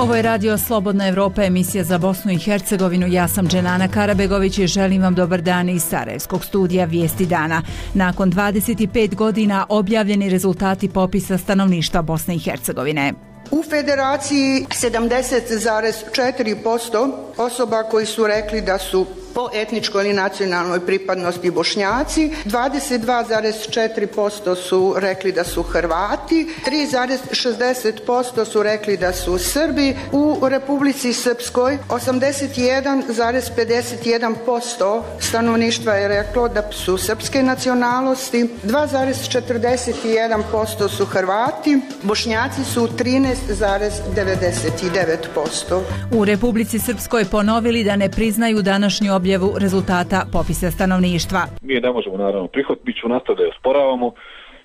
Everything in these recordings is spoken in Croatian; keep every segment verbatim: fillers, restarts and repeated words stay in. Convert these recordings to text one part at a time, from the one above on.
Ovo je Radio Slobodna Evropa, emisija za Bosnu i Hercegovinu. Ja sam Dženana Karabegović i želim vam dobar dan iz Sarajevskog studija Vijesti dana. Nakon dvadeset pet godina objavljeni rezultati popisa stanovništva Bosne i Hercegovine. U Federaciji sedamdeset zarez četiri posto osoba koji su rekli da su po etničkoj ili nacionalnoj pripadnosti Bošnjaci, dvadeset dva zarez četiri posto su rekli da su Hrvati, tri zarez šezdeset posto su rekli da su Srbi. U Republici Srpskoj osamdeset jedan zarez pedeset jedan posto stanovništva je reklo da su srpske nacionalnosti, dva zarez četrdeset jedan posto su Hrvati, Bošnjaci su trinaest zarez devedeset devet posto. U Republici Srpskoj ponovili da ne priznaju današnju objavu rezultata popisa stanovništva. Mi ne možemo naravno prihvatiti, mi ćemo nastaviti da je osporavamo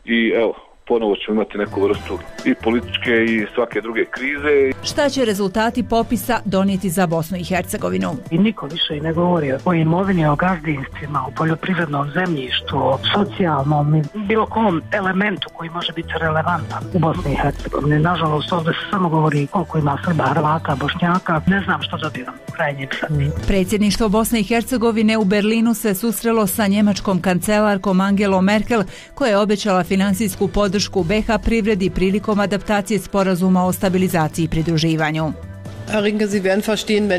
i evo, ponovo ćemo imati neku vrstu i političke i svake druge krize. Šta će rezultati popisa donijeti za Bosnu i Hercegovinu? I niko više ne govori o imovini, o gazdinstvima, o poljoprivrednom zemljištu, o socijalnom i bilo kom elementu koji može biti relevantan u Bosni i Hercegovini. Nažalost, ovdje se samo govori koliko ima Srba, Hrvata, Bošnjaka. Ne znam što dobivam u krajnjem sami. Predsjedništvo Bosne i Hercegovine u Berlinu se susrelo sa njemačkom kancelarkom Angelom Merkel, koja je obećala finansijsku podršku u be ha privredi prilikom adaptacije sporazuma o stabilizaciji i pridruživanju.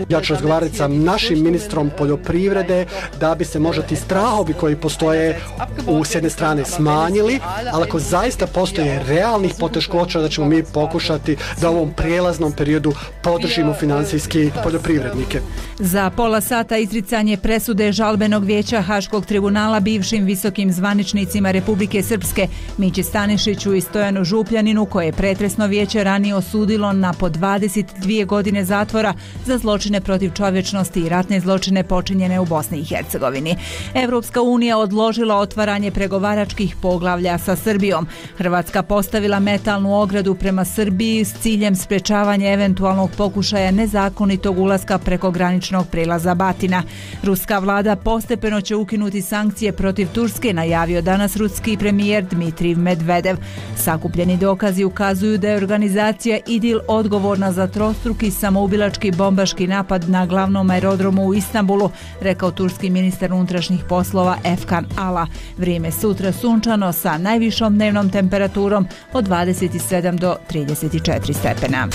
Ja ću razgovarati sa našim ministrom poljoprivrede da bi se možda ti strahovi koji postoje u s jedne strane smanjili, ali ako zaista postoje realnih poteškoća da ćemo mi pokušati da u ovom prijelaznom periodu podržimo financijski poljoprivrednike. Za pola sata izricanje presude žalbenog vijeća Haškog tribunala bivšim visokim zvaničnicima Republike Srpske Mići Stanišiću i Stojanu Župljaninu, koje je pretresno vijeće ranije osudilo na po dvadeset dvije godine zatvora za zločine protiv čovječnosti i ratne zločine počinjene u Bosni i Hercegovini. Evropska unija odložila otvaranje pregovaračkih poglavlja sa Srbijom. Hrvatska postavila metalnu ogradu prema Srbiji s ciljem sprečavanja eventualnog pokušaja nezakonitog ulaska preko graničnog prelaza Batina. Ruska vlada postepeno će ukinuti sankcije protiv Turske, najavio danas ruski premijer Dmitrij Medvedev. Sakupljeni dokazi ukazuju da je organizacija IDIL odgovorna za trostruki samoubilački bombaški napad na glavnom aerodromu u Istanbulu, rekao turski ministar unutrašnjih poslova Efkan Ala. Vrijeme sutra sunčano sa najvišom dnevnom temperaturom od dvadeset sedam do trideset četiri stepena.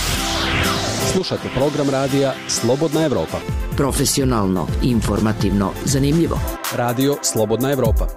Slušate program radija Slobodna Evropa. Profesionalno, informativno, zanimljivo. Radio Slobodna Evropa.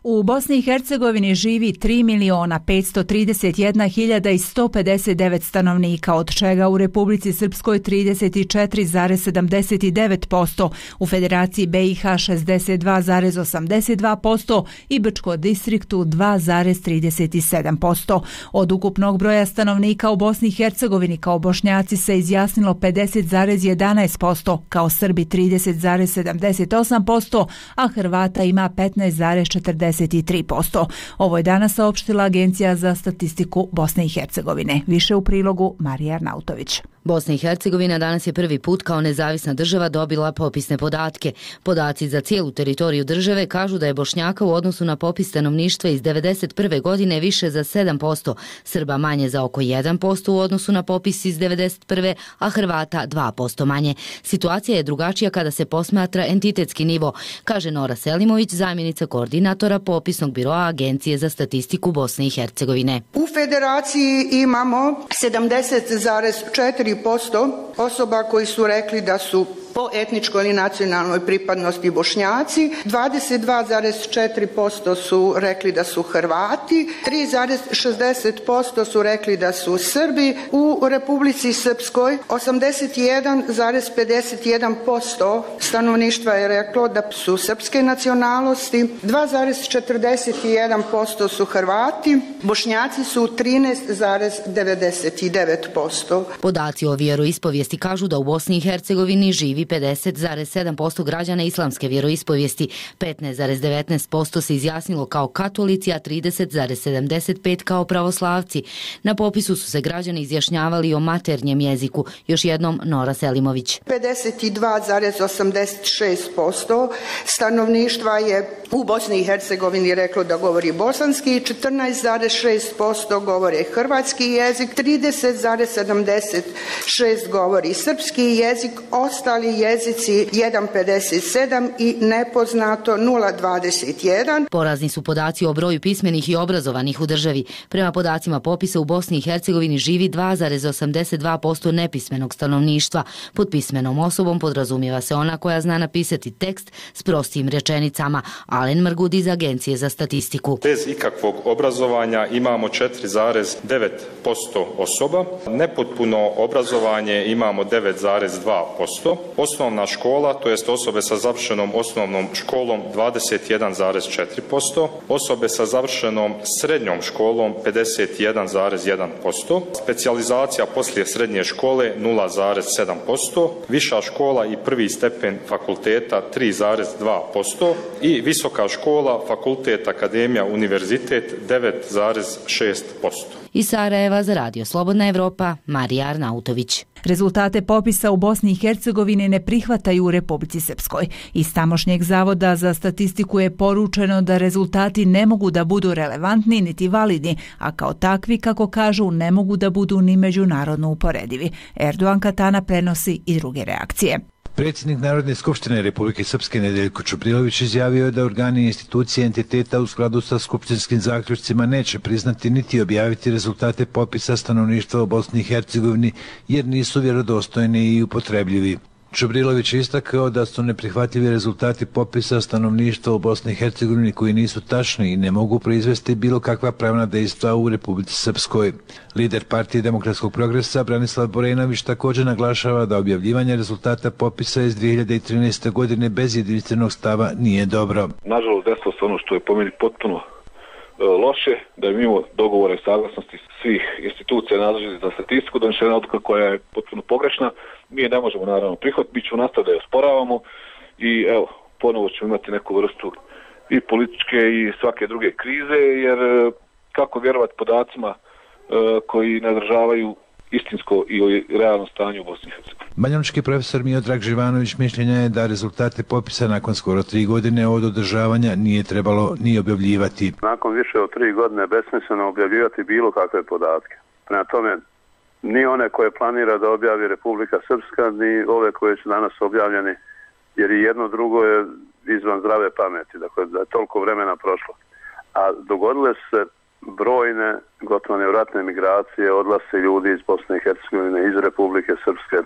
U Bosni i Hercegovini živi tri miliona petsto trideset jedna hiljada sto pedeset devet stanovnika, od čega u Republici Srpskoj trideset četiri zarez sedamdeset devet posto, u Federaciji be i ha šezdeset dva zarez osamdeset dva posto i Brčko distriktu dva zarez trideset sedam posto. Od ukupnog broja stanovnika u Bosni i Hercegovini kao Bošnjaci se izjasnilo pedeset zarez jedanaest posto, kao Srbi trideset zarez sedamdeset osam posto, a Hrvata ima petnaest zarez četrdeset tri posto. Ovo je danas saopštila Agencija za statistiku Bosne i Hercegovine. Više u prilogu Marija Arnautović. Bosna i Hercegovina danas je prvi put kao nezavisna država dobila popisne podatke. Podaci za cijelu teritoriju države kažu da je Bošnjaka u odnosu na popis stanovništva iz devedeset prve godine više za sedam posto, Srba manje za oko jedan posto u odnosu na popis iz devedeset prve, a Hrvata dva posto manje. Situacija je drugačija kada se posmatra entitetski nivo, kaže Nora Selimović, zamjenica koordinatora popisnog biroa Agencije za statistiku Bosne i Hercegovine. U Federaciji imamo sedamdeset zarez četiri posto osoba koji su rekli da su po etničkoj ili nacionalnoj pripadnosti Bošnjaci, dvadeset dva zarez četiri posto su rekli da su Hrvati, tri zarez šezdeset posto su rekli da su Srbi. U Republici Srpskoj osamdeset jedan zarez pedeset jedan posto stanovništva je reklo da su srpske nacionalnosti, dva zarez četrdeset jedan posto su Hrvati, Bošnjaci su trinaest zarez devedeset devet posto. Podaci o vjeroispovijesti kažu da u Bosni i Hercegovini živi pedeset zarez sedam posto građana islamske vjeroispovijesti, petnaest zarez devetnaest posto se izjasnilo kao katolici, a trideset zarez sedamdeset pet posto kao pravoslavci. Na popisu su se građani izjašnjavali o maternjem jeziku. Još jednom Nora Selimović. pedeset dva zarez osamdeset šest posto stanovništva je u Bosni i Hercegovini reklo da govori bosanski, četrnaest zarez šest posto govore hrvatski jezik, trideset zarez sedamdeset šest govori srpski jezik, ostali jezici jedan zarez pedeset sedam i nepoznato nula zarez dvadeset jedan. Porazni su podaci o broju pismenih i obrazovanih u državi. Prema podacima popisa u Bosni i Hercegovini živi dva zarez osamdeset dva posto nepismenog stanovništva. Pod pismenom osobom podrazumijeva se ona koja zna napisati tekst s prostijim rečenicama. Alen Mrgud iz Agencije za statistiku. Bez ikakvog obrazovanja imamo četiri zarez devet posto osoba. Nepotpuno obrazovanje imamo devet zarez dva posto. Osnovna škola, to jest osobe sa završenom osnovnom školom dvadeset jedan zarez četiri posto. Osobe sa završenom srednjom školom pedeset jedan zarez jedan posto. Specijalizacija poslije srednje škole nula zarez sedam posto. Viša škola i prvi stepen fakulteta tri zarez dva posto i visoka škola, fakultet, akademija, univerzitet devet zarez šest posto. Iz Sarajeva za Radio Slobodna Evropa, Marija Arnautović. Rezultate popisa u Bosni i Hercegovini ne prihvataju u Republici Srpskoj. Iz tamošnjeg zavoda za statistiku je poručeno da rezultati ne mogu da budu relevantni niti validni, a kao takvi, kako kažu, ne mogu da budu ni međunarodno uporedivi. Erdogan Katana prenosi i druge reakcije. Predsjednik Narodne skupštine Republike Srpske Nedeljko Čubrilović izjavio je da organi i institucije entiteta u skladu sa skupštinskim zaključcima neće priznati niti objaviti rezultate popisa stanovništva u Bosni i Hercegovini jer nisu vjerodostojni i upotrebljivi. Čubrilović je istakao da su neprihvatljivi rezultati popisa stanovništva u Bosni i Hercegovini koji nisu tačni i ne mogu proizvesti bilo kakva pravna dejstva u Republici Srpskoj. Lider Partije demokratskog progresa Branislav Borenović također naglašava da objavljivanje rezultata popisa iz dvije hiljade trinaeste. godine bez jedinstvenog stava nije dobro. Nažalost, desilo se ono što je po meni potpuno loše, da je mimo dogovora i saglasnosti svih institucija nadležnih za statistiku donešena odluka koja je potpuno pogrešna. Mi je ne možemo naravno prihvatiti, mi ćemo nastaviti da je osporavamo i evo, ponovo ćemo imati neku vrstu i političke i svake druge krize, jer kako vjerovati podacima koji ne održavaju istinsko i realno stanje u Bosni i Hercegovini. Banjalučki profesor Miodrag Živanović mišljenja je da rezultate popisa nakon skoro tri godine od održavanja nije trebalo ni objavljivati. Nakon više od tri godine besmisleno objavljivati bilo kakve podatke. Prema tome, ni one koje planira da objavi Republika Srpska, ni ove koje su danas objavljeni, jer i jedno drugo je izvan zdrave pameti, dakle da je toliko vremena prošlo. A dogodile se brojne, gotovo nevratne migracije, odlaze ljudi iz Bosne i Hercegovine, iz Republike Srpske.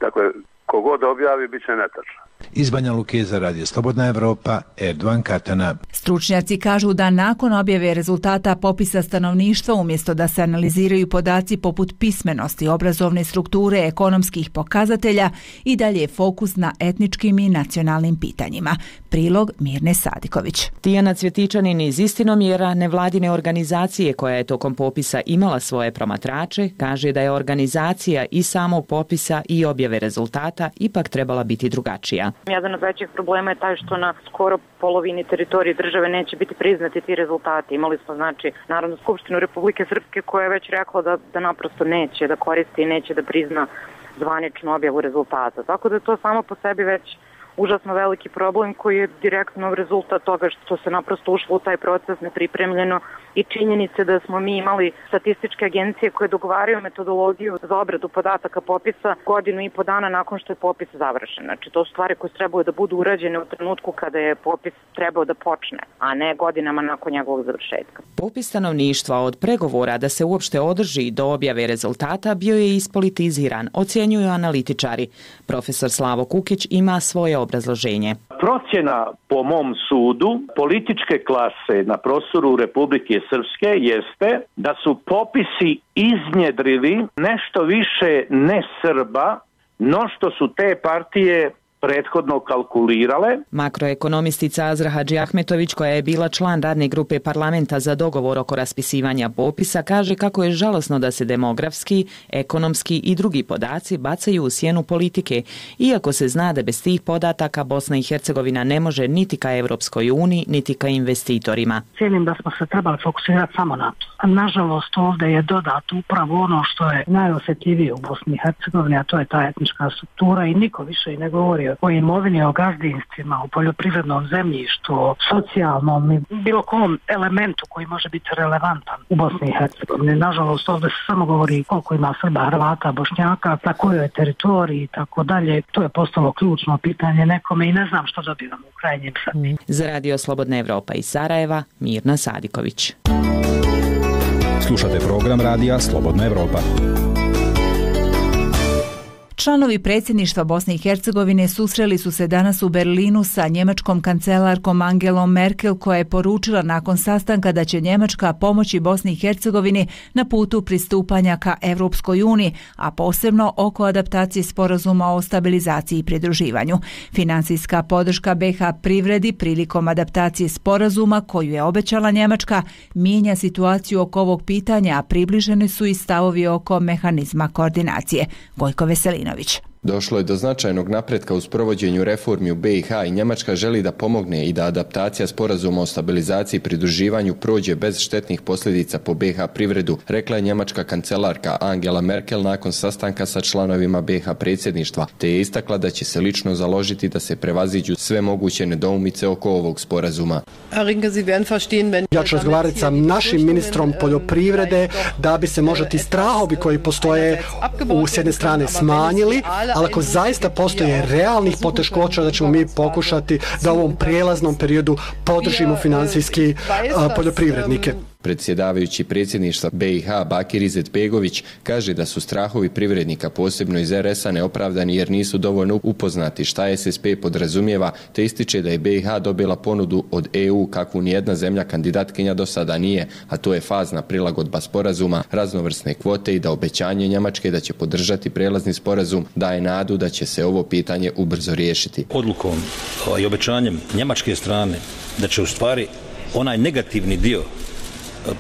Dakle, kogod objavi, bit će netačno. Iz Banja Luke za Radio Slobodna Evropa, Erdogan Katana. Stručnjaci kažu da nakon objave rezultata popisa stanovništva, umjesto da se analiziraju podaci poput pismenosti, obrazovne strukture, ekonomskih pokazatelja, i dalje je fokus na etničkim i nacionalnim pitanjima. Prilog Mirne Sadiković. Tijana Cvjetičanin iz Istinomjera, nevladine organizacije koja je tokom popisa imala svoje promatrače, kaže da je organizacija i samog popisa i objave rezultata ipak trebala biti drugačija. Jedan od većih problema je taj što na skoro polovini teritorije države neće biti priznati ti rezultati. Imali smo znači Narodnu skupštinu Republike Srpske koja je već rekla da, da naprosto neće da koristi i neće da prizna zvaničnu objavu rezultata. Tako da je to samo po sebi već užasno veliki problem koji je direktno rezultat toga što se naprosto ušlo u taj proces nepripremljeno i činjenice da smo mi imali statističke agencije koje dogovaraju metodologiju za obradu podataka popisa godinu i po dana nakon što je popis završen. Znači to su stvari koje trebaju da budu urađene u trenutku kada je popis trebao da počne, a ne godinama nakon njegovog završetka. Popis stanovništva od pregovora da se uopšte održi do objave rezultata bio je ispolitiziran, ocjenjuju analitičari. Profesor Slavo Kukić ima svoje obrazloženje. Procjena po mom sudu političke klase na prostoru Republike Srpske jeste da su popisi iznjedrili nešto više ne Srba, no što su te partije prethodno kalkulirale. Makroekonomistica Azra Hadžiahmetović, koja je bila član radne grupe parlamenta za dogovor oko raspisivanja popisa, kaže kako je žalosno da se demografski, ekonomski i drugi podaci bacaju u sjenu politike, iako se zna da bez tih podataka Bosna i Hercegovina ne može niti ka Evropskoj uniji, niti ka investitorima. Cijenim da smo se trebali fokusirati samo na to. Nažalost, ovdje je dodato upravo ono što je najosjetljivije u Bosni i Hercegovini, a to je ta etnička struktura i niko više i ne govori govori o imovini, o gazdinstvima, o poljoprivrednom zemljištu, o socijalnom i bilo kom elementu koji može biti relevantan u Bosni i Hercegovini. Nažalost, ovdje se samo govori koliko ima Srba, Hrvata, Bošnjaka, na kojoj teritoriji i tako dalje. To je postalo ključno pitanje nekome i ne znam što dobivamo u krajnjem Srbiji. Za Radio Slobodna Evropa iz Sarajeva, Mirna Sadiković. Slušate program Radija Slobodna Evropa. Članovi predsjedništva Bosne i Hercegovine susreli su se danas u Berlinu sa njemačkom kancelarkom Angelom Merkel, koja je poručila nakon sastanka da će Njemačka pomoći Bosni i Hercegovini na putu pristupanja ka Evropskoj uniji, a posebno oko adaptacije sporazuma o stabilizaciji i pridruživanju. Finansijska podrška be ha privredi prilikom adaptacije sporazuma koju je obećala Njemačka mijenja situaciju oko ovog pitanja, a približeni su i stavovi oko mehanizma koordinacije. Gojko Veselinović. Došlo je do značajnog napretka u sprovođenju reformi u be i ha i Njemačka želi da pomogne i da adaptacija sporazuma o stabilizaciji i pridruživanju prođe bez štetnih posljedica po be ha privredu, rekla je njemačka kancelarka Angela Merkel nakon sastanka sa članovima be ha predsjedništva, te je istakla da će se lično založiti da se prevaziđu sve moguće nedoumice oko ovog sporazuma. Ja ću razgovarati sa našim ministrom poljoprivrede da bi se možda ti strahovi koji postoje u s jedne strane smanjili, ali ako zaista postoje realnih poteškoća da ćemo mi pokušati da u ovom prijelaznom periodu podržimo financijski uh, poljoprivrednike. Predsjedavajući predsjedništva be i ha Bakir Izetbegović kaže da su strahovi privrednika, posebno iz er es a, neopravdani jer nisu dovoljno upoznati šta es es pe podrazumijeva, te ističe da je be i ha dobila ponudu od e u kakvu nijedna zemlja kandidatkinja do sada nije, a to je fazna prilagodba sporazuma, raznovrsne kvote i da obećanje Njemačke da će podržati prelazni sporazum daje nadu da će se ovo pitanje ubrzo riješiti. Odlukom i obećanjem njemačke strane da će u stvari onaj negativni dio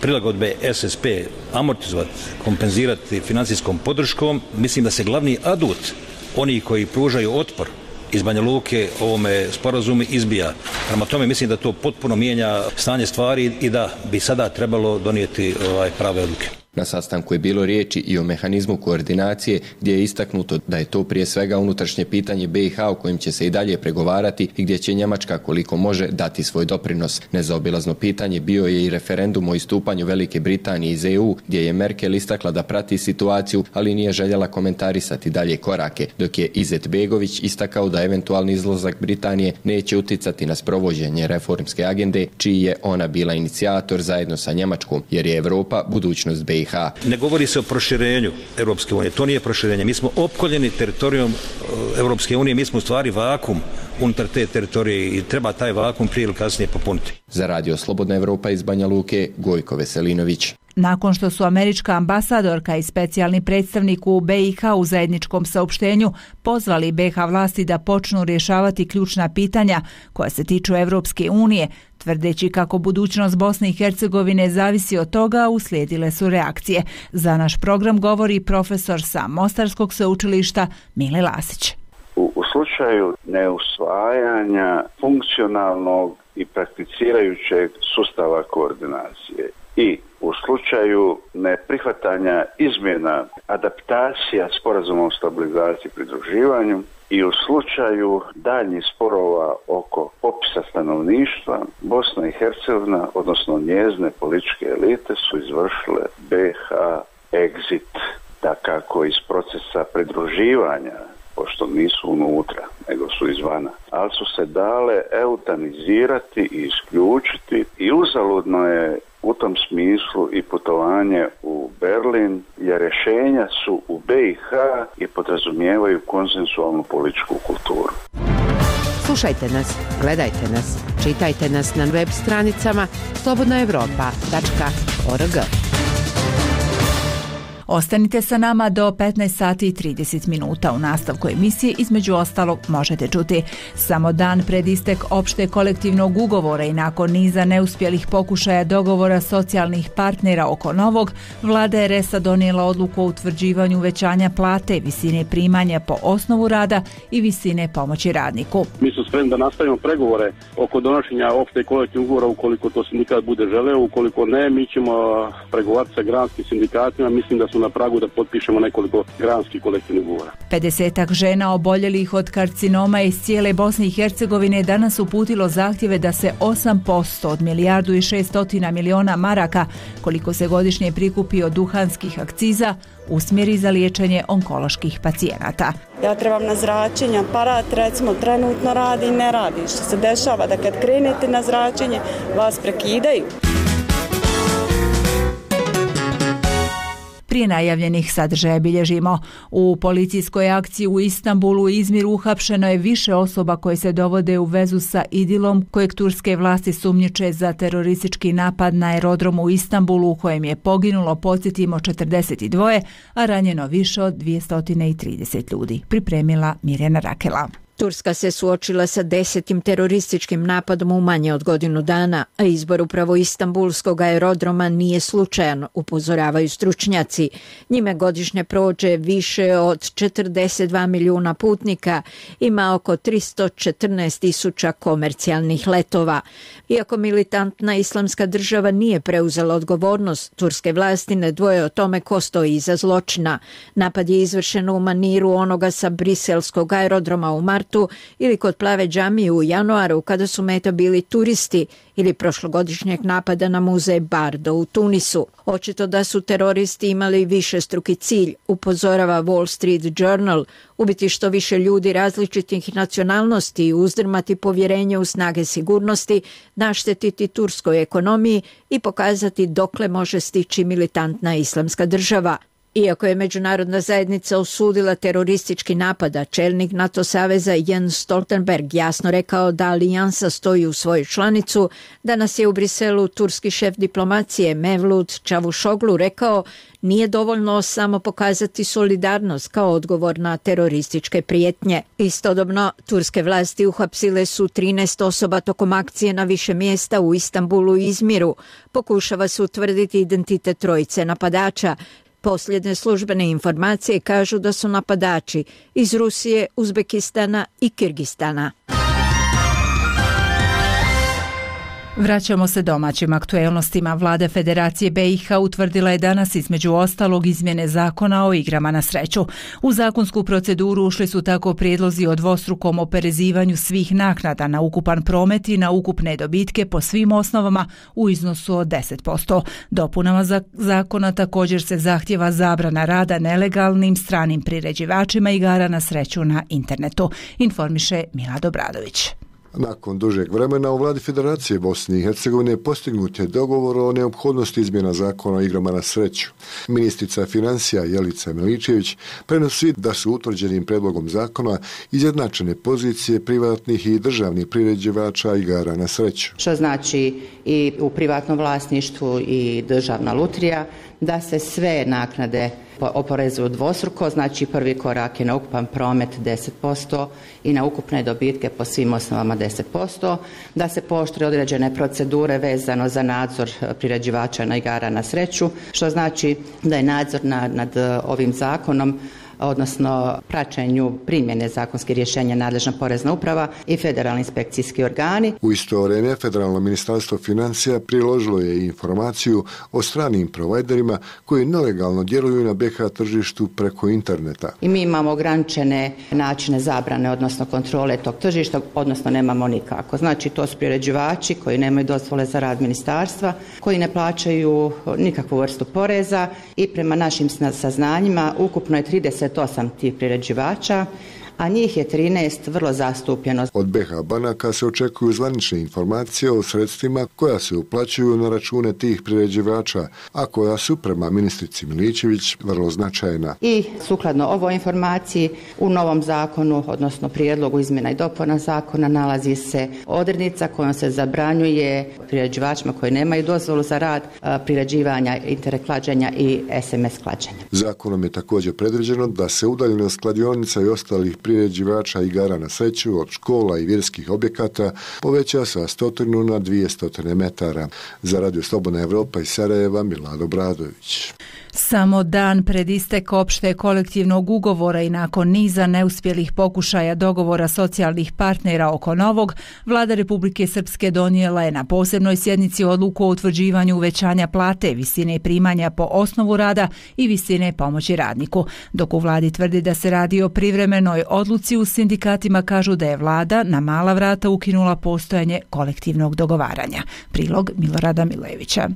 prilagodbe es es pe amortizovati, kompenzirati financijskom podrškom, mislim da se glavni adut oni koji pružaju otpor iz Banja Luke ovome sporazumu izbija. Prema tome mislim da to potpuno mijenja stanje stvari i da bi sada trebalo donijeti ovaj prave odluke. Na sastanku je bilo riječi i o mehanizmu koordinacije gdje je istaknuto da je to prije svega unutrašnje pitanje be i ha o kojem će se i dalje pregovarati i gdje će Njemačka koliko može dati svoj doprinos. Nezaobilazno pitanje bio je i referendum o istupanju Velike Britanije iz e u gdje je Merkel istakla da prati situaciju, ali nije željela komentarisati dalje korake, dok je Izetbegović istakao da eventualni izlazak Britanije neće uticati na sprovođenje reformske agende čiji je ona bila inicijator zajedno sa Njemačkom, jer je Europa budućnost be i ha. Ne govori se o proširenju Europske unije, to nije proširenje. Mi smo opkoljeni teritorijom Europske unije, mi smo u stvari vakum unutar te teritorije i treba taj vakum prije ili kasnije popuniti. Za Radio Slobodna Evropa iz Banja Luke, Gojko Veselinović. Nakon što su američka ambasadorka i specijalni predstavnik u be i ha u zajedničkom saopštenju pozvali be ha vlasti da počnu rješavati ključna pitanja koja se tiču Evropske unije, tvrdeći kako budućnost Bosne i Hercegovine zavisi od toga, uslijedile su reakcije. Za naš program govori profesor sa Mostarskog sveučilišta Mile Lasić. U, u slučaju neusvajanja funkcionalnog i prakticirajućeg sustava koordinacije i u slučaju neprihvatanja izmjena adaptacija sporazuma o stabilizaciji i pridruživanju i u slučaju daljnjih sporova oko popisa stanovništva, Bosna i Hercegovina, odnosno njezine političke elite, su izvršile be ha exit, dakako iz procesa pridruživanja, pošto nisu unutra, nego su izvana. Ali su se dale eutanizirati i isključiti i uzaludno je u tom smislu i putovanje u Berlin, jer rješenja su u be i ha i podrazumijevaju konsensualnu političku kulturu. Slušajte nas, gledajte nas, čitajte nas na web stranicama slobodna evropa tačka org. Ostanite sa nama do petnaest sati i trideset minuta. U nastavku emisije između ostalog možete čuti: samo dan pred istek opšte kolektivnog ugovora i nakon niza neuspjelih pokušaja dogovora socijalnih partnera oko novog, vlada er es a donijela odluku o utvrđivanju uvećanja plate, visine primanja po osnovu rada i visine pomoći radniku. Mi smo spremni da nastavimo pregovore oko donošenja opšte kolektivnog ugovora ukoliko to sindikat bude želeo, ukoliko ne, mi ćemo pregovarati sa granskim sindikatima, mislim da su na pragu da potpišemo nekoliko granskih kolektivnih ugovora. pedesetak žena oboljelih od karcinoma iz cijele Bosne i Hercegovine danas uputilo zahtjeve da se osam posto od milijardu i šestotina miliona maraka, koliko se godišnje prikupi od duhanskih akciza, usmjeri za liječenje onkoloških pacijenata. Ja trebam na zračenje, aparat recimo trenutno radi i ne radi. Što se dešava da kad krenete na zračenje vas prekidaju. Prije najavljenih sadržaja bilježimo. U policijskoj akciji u Istanbulu i Izmiru uhapšeno je više osoba koje se dovode u vezu sa Idilom, kojeg turske vlasti sumnjiče za teroristički napad na aerodromu u Istanbulu u kojem je poginulo, podsjetimo, četrdeset dva, a ranjeno više od dvjesto trideset ljudi. Pripremila Mirjana Rakela. Turska se suočila sa desetim terorističkim napadom u manje od godinu dana, a izbor upravo Istanbulskog aerodroma nije slučajan, upozoravaju stručnjaci. Njime godišnje prođe više od četrdeset dva milijuna putnika, ima oko tristo četrnaest tisuća komercijalnih letova. Iako militantna islamska država nije preuzela odgovornost, turske vlasti ne dvoje o tome ko stoji iza zločina. Napad je izvršen u maniru onoga sa briselskog aerodroma u martu ili kod Plave džamije u januaru kada su meta bili turisti ili prošlogodišnjeg napada na muzej Bardo u Tunisu. Očito da su teroristi imali višestruki cilj, upozorava Wall Street Journal, ubiti što više ljudi različitih nacionalnosti i uzdrmati povjerenje u snage sigurnosti, naštetiti turskoj ekonomiji i pokazati dokle može stići militantna islamska država. Iako je međunarodna zajednica osudila teroristički napad, a čelnik NATO saveza Jens Stoltenberg jasno rekao da alijansa stoji u svoju članicu, danas je u Briselu turski šef diplomacije Mevlut Čavuşoglu rekao nije dovoljno samo pokazati solidarnost kao odgovor na terorističke prijetnje. Istodobno, turske vlasti uhapsile su trinaest osoba tokom akcije na više mjesta u Istanbulu i Izmiru. Pokušava se utvrditi identitet trojice napadača. Posljednje službene informacije kažu da su napadači iz Rusije, Uzbekistana i Kirgistana. Vraćamo se domaćim aktuelnostima. Vlada Federacije B i H utvrdila je danas između ostalog izmjene zakona o igrama na sreću. U zakonsku proceduru ušli su tako prijedlozi o dvostrukom oporezivanju svih naknada na ukupan promet i na ukupne dobitke po svim osnovama u iznosu od deset posto. Dopunama zakona također se zahtjeva zabrana rada nelegalnim stranim priređivačima igara na sreću na internetu, informiše Milad Obradović. Nakon dužeg vremena u vladi Federacije Bosne i Hercegovine postignut je dogovor o neophodnosti izmjena zakona o igrama na sreću. Ministrica financija Jelica Miličević prenosi da su utvrđenim predlogom zakona izjednačene pozicije privatnih i državnih priređivača igara na sreću. Što znači i u privatnom vlasništvu i državna lutrija, da se sve naknade oporezuju dvostruko, znači prvi korak je na ukupan promet deset posto i na ukupne dobitke po svim osnovama deset posto, da se pooštre određene procedure vezano za nadzor priređivača na igara na sreću, što znači da je nadzor nad, nad ovim zakonom, odnosno praćenju primjene zakonskih rješenja nadležna porezna uprava i federalni inspekcijski organi. U isto vrijeme Federalno ministarstvo financija priložilo je informaciju o stranim provajderima koji nelegalno djeluju na B H tržištu preko interneta. I mi imamo ograničene načine zabrane, odnosno kontrole tog tržišta, odnosno nemamo nikako. Znači to su priređivači koji nemaju dozvole za rad ministarstva, koji ne plaćaju nikakvu vrstu poreza i prema našim saznanjima ukupno je trideset osam tih priređivača, a njih je trinaest vrlo zastupljeno. Od B H banaka se očekuju zvanične informacije o sredstvima koja se uplaćuju na račune tih priređivača, a koja su prema ministrici Miličević vrlo značajna. I sukladno ovoj informaciji u novom zakonu, odnosno prijedlogu izmjena i dopuna zakona, nalazi se odrednica kojom se zabranjuje priređivačima koji nemaju dozvolu za rad priređivanja internet klađenja i S M S klađenja. Zakonom je također predviđeno da se udaljenost kladionica i ostalih priređivača igara na sreću od škola i vjerskih objekata poveća sa stotinu na dvije stotine metara. Za Radio Slobodna Evropa iz Sarajeva, Milad Obradović. Samo dan pred istek opšte kolektivnog ugovora i nakon niza neuspjelih pokušaja dogovora socijalnih partnera oko novog, Vlada Republike Srpske donijela je na posebnoj sjednici odluku o utvrđivanju uvećanja plate, visine primanja po osnovu rada i visine pomoći radniku. Dok u Vladi tvrdi da se radi o privremenoj odluci, u sindikatima kažu da je Vlada na mala vrata ukinula postojanje kolektivnog dogovaranja. Prilog Milorada Milevića.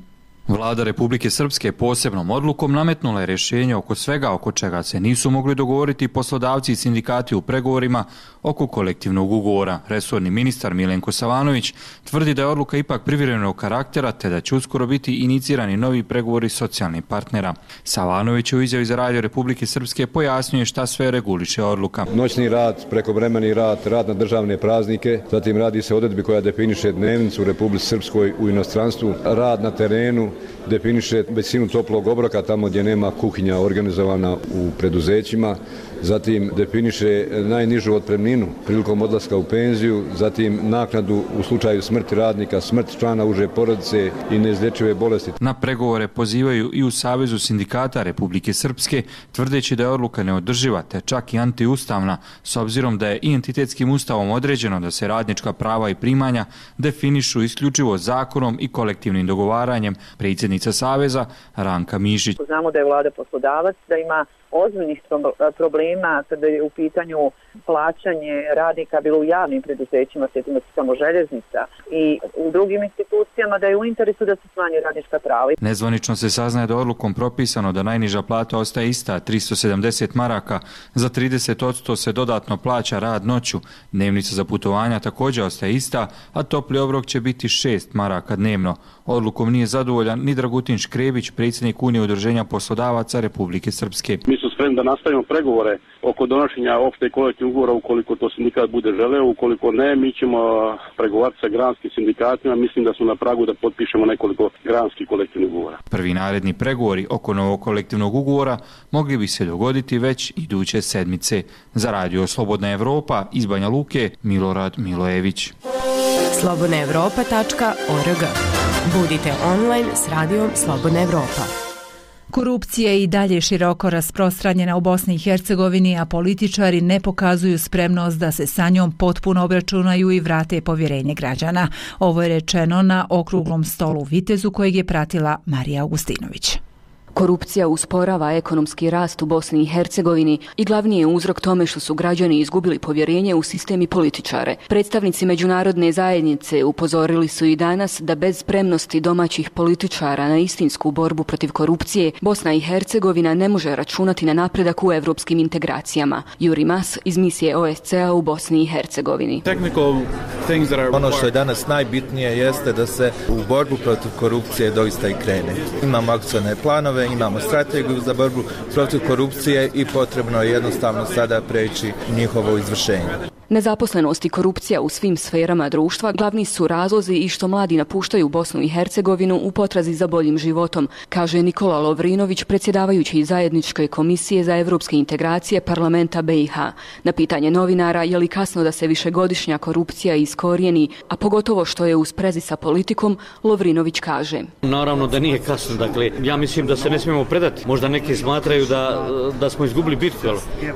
Vlada Republike Srpske posebnom odlukom nametnula je rješenje oko svega oko čega se nisu mogli dogovoriti poslodavci i sindikati u pregovorima oko kolektivnog ugovora. Resorni ministar Milenko Savanović tvrdi da je odluka ipak privremenog karaktera te da će uskoro biti inicirani novi pregovori socijalnih partnera. Savanović u izjavi za Radio Republike Srpske pojasnjuje šta sve reguliše odluka. Noćni rad, prekovremeni rad, rad na državne praznike, zatim radi se odredbi koja definiše dnevnicu u Republici Srpskoj u inostranstvu, rad na terenu, definiše visinu toplog obroka tamo gdje nema kuhinja organizovana u preduzećima, zatim definiše najnižu otpremninu prilikom odlaska u penziju, zatim naknadu u slučaju smrti radnika, smrt člana uže porodice i neizlječive bolesti. Na pregovore pozivaju i u Savezu sindikata Republike Srpske, tvrdeći da je odluka neodrživa te čak i antiustavna, s obzirom da je i entitetskim ustavom određeno da se radnička prava i primanja definišu isključivo zakonom i kolektivnim dogovaranjem. Predsjednica Saveza Ranka Mišić. Znamo da je Vlada poslodavac, da ima ozbiljnih problema kada je u pitanju plaćanje radnika bilo u javnim preduzećima, sjetimo se samo željeznica i u drugim institucijama, da je u interesu da se smanji radnička prava. Nezvanično se saznaje da odlukom propisano da najniža plata ostaje ista, tristo sedamdeset maraka, za trideset posto se dodatno plaća rad noću, dnevnica za putovanja također ostaje ista, a topli obrok će biti šest maraka dnevno. Odlukom nije zadovoljan ni Dragutin Škrebić, predsjednik Unije udruženja poslodavaca Republike Srpske. Mi smo spremni da nastavimo pregovore oko donošenja opšte kolektivnog ugovora ukoliko to sindikat bude želeo, ukoliko ne, mi ćemo pregovarati sa granskim sindikatima, mislim da smo na pragu da potpišemo nekoliko granskih kolektivnih ugovora. Prvi naredni pregovori oko novog kolektivnog ugovora mogli bi se dogoditi već iduće sedmice. Za Radio Slobodna Evropa iz Banja Luke, Milorad Milojević. slobodna evropa tačka org. Budite online s Radijom Slobodna Evropa. Korupcija je i dalje široko rasprostranjena u Bosni i Hercegovini, a političari ne pokazuju spremnost da se sa njom potpuno obračunaju i vrate povjerenje građana. Ovo je rečeno na okruglom stolu u Vitezu kojeg je pratila Marija Augustinović. Korupcija usporava ekonomski rast u Bosni i Hercegovini i glavni je uzrok tome što su građani izgubili povjerenje u sistem i političare. Predstavnici međunarodne zajednice upozorili su i danas da bez spremnosti domaćih političara na istinsku borbu protiv korupcije, Bosna i Hercegovina ne može računati na napredak u evropskim integracijama. Juri Mas iz misije O S C A u Bosni i Hercegovini. Ono što je danas najbitnije jeste da se u borbu protiv korupcije doista i krene. Imamo akcione planove, imamo strategiju za borbu protiv korupcije i potrebno je jednostavno sada preći njihovo izvršenje. Nezaposlenost i korupcija u svim sferama društva glavni su razlozi i što mladi napuštaju Bosnu i Hercegovinu u potrazi za boljim životom, kaže Nikola Lovrinović, predsjedavajući zajedničke komisije za evropske integracije parlamenta B i H. Na pitanje novinara je li kasno da se višegodišnja korupcija iskorijeni, a pogotovo što je u sprezi sa politikom, Lovrinović kaže. Naravno da nije kasno, dakle, ja mislim da se ne smijemo predati. Možda neki smatraju da, da smo izgubili bitku,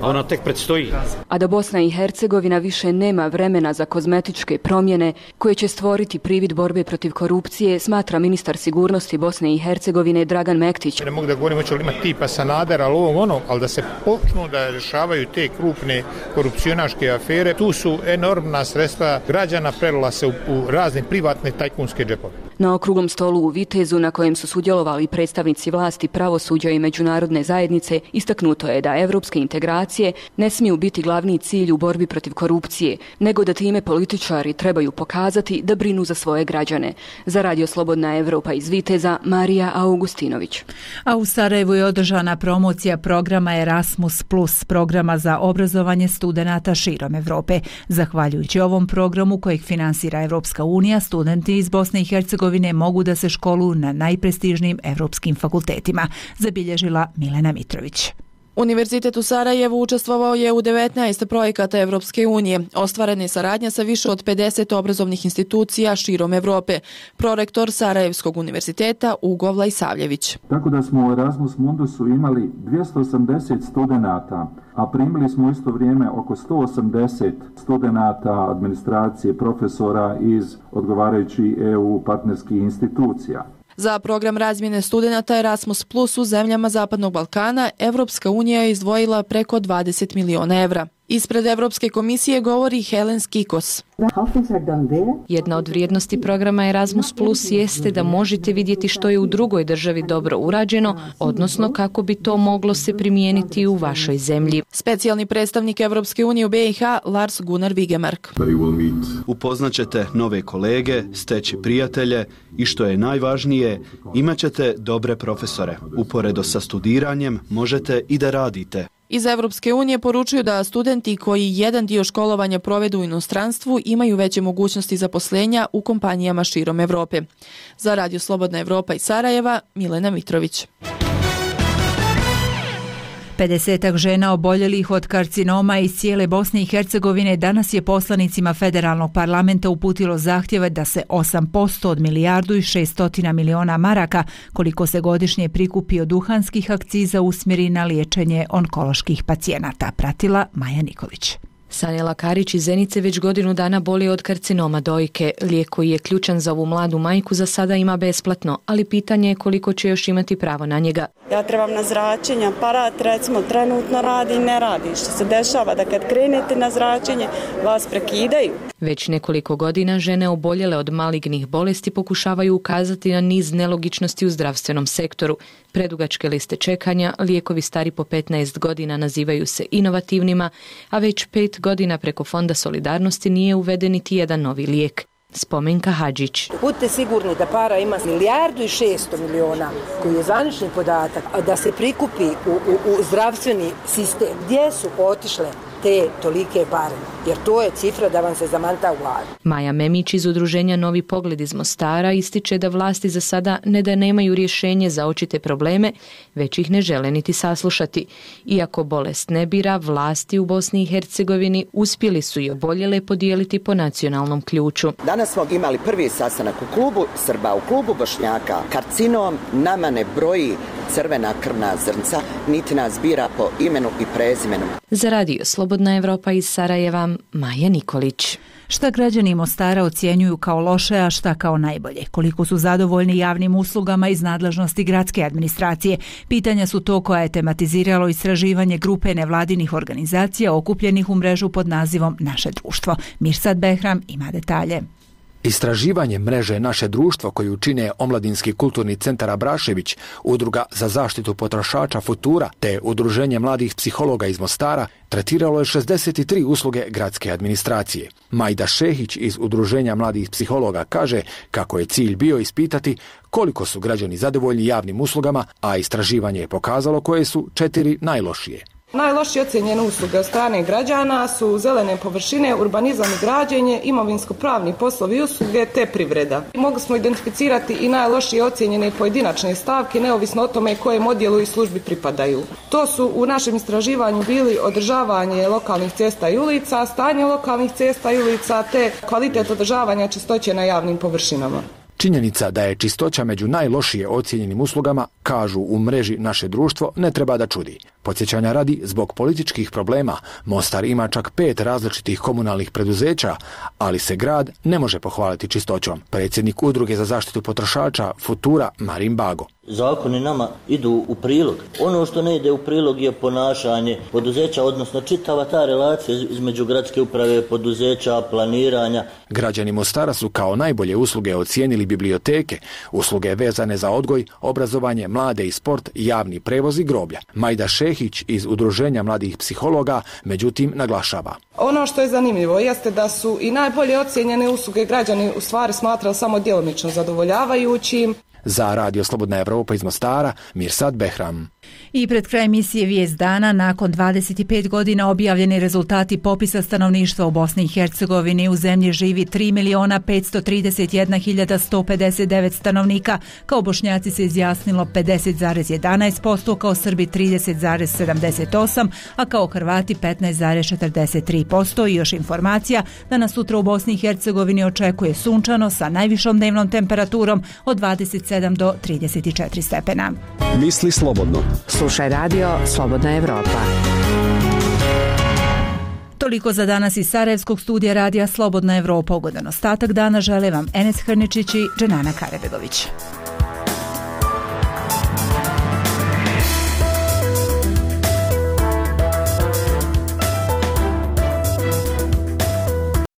a ona tek predstoji. A da Bosna i Hercegovina više nema vremena za kozmetičke promjene koje će stvoriti privid borbe protiv korupcije, smatra ministar sigurnosti Bosne i Hercegovine Dragan Mektić. Ne mogu da govorim hoće li imati tipa Sanadera, ali ovog ono, ali da se počnu da rješavaju te krupne korupcionaške afere, tu su enormna sredstva građana prelila se u, u razne privatne tajkunske džepove. Na okruglom stolu u Vitezu, na kojem su sudjelovali predstavnici vlasti, pravosuđa i međunarodne zajednice, istaknuto je da evropske integracije ne smiju biti glavni cilj u borbi protiv korupcije, nego da time političari trebaju pokazati da brinu za svoje građane. Za Radio Slobodna Evropa iz Viteza, Marija Augustinović. A u Sarajevu je održana promocija programa Erasmus plus, programa za obrazovanje studenata širom Evrope. Zahvaljujući ovom programu kojeg finansira Evropska unija, studenti iz Bosne i Hercegovine mogu da se školuju na najprestižnijim evropskim fakultetima, zabilježila Milena Mitrović. Univerzitet u Sarajevu učestvovao je u devetnaest projekata Evropske unije. Ostvarena je saradnja sa više od pedeset obrazovnih institucija širom Evrope. Prorektor Sarajevskog univerziteta Ugo Vlajsavljević. Tako da smo u Erasmus Mundusu imali dvjesto osamdeset studenata, a primili smo u isto vrijeme oko sto osamdeset studenata, administracije, profesora iz odgovarajućih E U partnerskih institucija. Za program razmjene studenata Erasmus Plus u zemljama Zapadnog Balkana Evropska unija je izdvojila preko dvadeset miliona evra. Ispred Evropske komisije govori Helen Skikos. Jedna od vrijednosti programa Erasmus Plus jeste da možete vidjeti što je u drugoj državi dobro urađeno, odnosno kako bi to moglo se primijeniti u vašoj zemlji. Specijalni predstavnik Evropske unije u B i H Lars Gunnar Vigemark. Upoznaćete nove kolege, steći prijatelje i što je najvažnije, imat ćete dobre profesore. Uporedo sa studiranjem možete i da radite. Iz Evropske unije poručuju da studenti koji jedan dio školovanja provedu u inostranstvu imaju veće mogućnosti zaposlenja u kompanijama širom Evrope. Za Radio Slobodna Evropa iz Sarajeva, Milena Mitrović. pedesetak žena oboljelih od karcinoma iz cijele Bosne i Hercegovine danas je poslanicima federalnog parlamenta uputilo zahtjeve da se osam posto od milijardu i šeststotina miliona maraka, koliko se godišnje prikupi od duhanskih akciza, usmjeri na liječenje onkoloških pacijenata. Pratila Maja Nikolić. Sanela Karić iz Zenice već godinu dana boli od karcinoma dojke. Lijek koji je ključan za ovu mladu majku za sada ima besplatno, ali pitanje je koliko će još imati pravo na njega. Ja trebam na zračenje, aparat recimo trenutno radi i ne radi. Što se dešava da kad krenete na zračenje vas prekidaju. Već nekoliko godina žene oboljele od malignih bolesti pokušavaju ukazati na niz nelogičnosti u zdravstvenom sektoru. Predugačke liste čekanja, lijekovi stari po petnaest godina nazivaju se inovativnima, a već pet godina preko Fonda solidarnosti nije uveden niti jedan novi lijek. Spomenka Hadžić. Budite sigurni da para ima milijardu i šesto miliona, koji je zvanični podatak, a da se prikupi u, u, u zdravstveni sistem. Gdje su otišle te tolike pare? Jer to je cifra da vam se zamanta u glavi. Maja Memić iz udruženja Novi pogled iz Mostara ističe da vlasti za sada ne da nemaju rješenje za očite probleme, već ih ne žele niti saslušati. Iako bolest ne bira, vlasti u Bosni i Hercegovini uspjeli su i oboljele podijeliti po nacionalnom ključu. Danas smo imali prvi sastanak u klubu Srba, u klubu Bošnjaka. Karcinom nama ne broji crvena krvna zrnca, niti nas bira po imenu i prezimenu. Za Radio Slobodna Evropa iz Sarajeva, Maja Nikolić. Šta građani Mostara ocjenjuju kao loše, a šta kao najbolje? Koliko su zadovoljni javnim uslugama iz nadležnosti gradske administracije? Pitanja su to koja je tematiziralo istraživanje grupe nevladinih organizacija okupljenih u mrežu pod nazivom Naše društvo. Mirsad Behram ima detalje. Istraživanje mreže Naše društvo koju čine Omladinski kulturni centar Abrašević, Udruga za zaštitu potrošača Futura te Udruženje mladih psihologa iz Mostara tretiralo je šezdeset tri usluge gradske administracije. Majda Šehić iz Udruženja mladih psihologa kaže kako je cilj bio ispitati koliko su građani zadovoljni javnim uslugama, a istraživanje je pokazalo koje su četiri najlošije. Najlošije ocjenjene usluge od strane građana su zelene površine, urbanizam i građenje, imovinsko-pravni poslovi i usluge te privreda. Mogli smo identificirati i najlošije ocjenjene pojedinačne stavke, neovisno o tome kojem odjelu i službi pripadaju. To su u našem istraživanju bili održavanje lokalnih cesta i ulica, stanje lokalnih cesta i ulica te kvalitet održavanja čistoće na javnim površinama. Činjenica da je čistoća među najlošije ocijenjenim uslugama, kažu u mreži Naše društvo, ne treba da čudi. Podsjećanja radi, zbog političkih problema, Mostar ima čak pet različitih komunalnih preduzeća, ali se grad ne može pohvaliti čistoćom. Predsjednik Udruge za zaštitu potrošača Futura Marin Bago. Zakoni nama idu u prilog. Ono što ne ide u prilog je ponašanje poduzeća, odnosno čitava ta relacija između gradske uprave, poduzeća, planiranja. Građani Mostara su kao najbolje usluge ocijenili biblioteke, usluge vezane za odgoj, obrazovanje, mlade i sport, javni prevoz i groblja. Majda Šehić iz Udruženja mladih psihologa međutim naglašava. Ono što je zanimljivo jeste da su i najbolje ocijenjene usluge građani u stvari smatrali samo djelomično zadovoljavajućim. Za Radio Slobodna Evropa iz Mostara, Mirsad Behram. I pred kraj emisije Vijest dana, nakon dvadeset pet godina objavljeni rezultati popisa stanovništva u Bosni i Hercegovini, u zemlji živi tri miliona petsto trideset jedna hiljada sto pedeset devet stanovnika, kao Bošnjaci se izjasnilo pedeset zarez jedanaest posto, kao Srbi trideset zarez sedamdeset osam posto, a kao Hrvati petnaest zarez četrdeset tri posto. I još informacija da nas sutra u Bosni i Hercegovini očekuje sunčano sa najvišom dnevnom temperaturom od dvadeset sedam do trideset četiri stepena. Misli slobodno. Slušaj radio Slobodna Evropa. Toliko za danas iz Sarajevskog studija radija Slobodna Evropa. Ugodan ostatak dana žele vam Enes Hrničić i Dženana Karebegović.